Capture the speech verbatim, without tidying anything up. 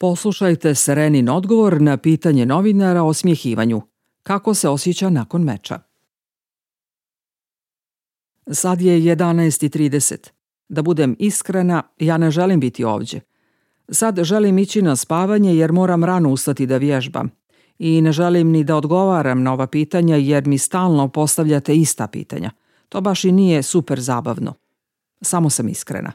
Poslušajte Serenin odgovor na pitanje novinara o smjehivanju. Kako se osjeća nakon meča? Sad je jedanaest i trideset. Da budem iskrena, ja ne želim biti ovdje. Sad želim ići na spavanje jer moram rano ustati da vježbam. I ne želim ni da odgovaram na ova pitanja jer mi stalno postavljate ista pitanja. To baš i nije super zabavno. Samo sam iskrena.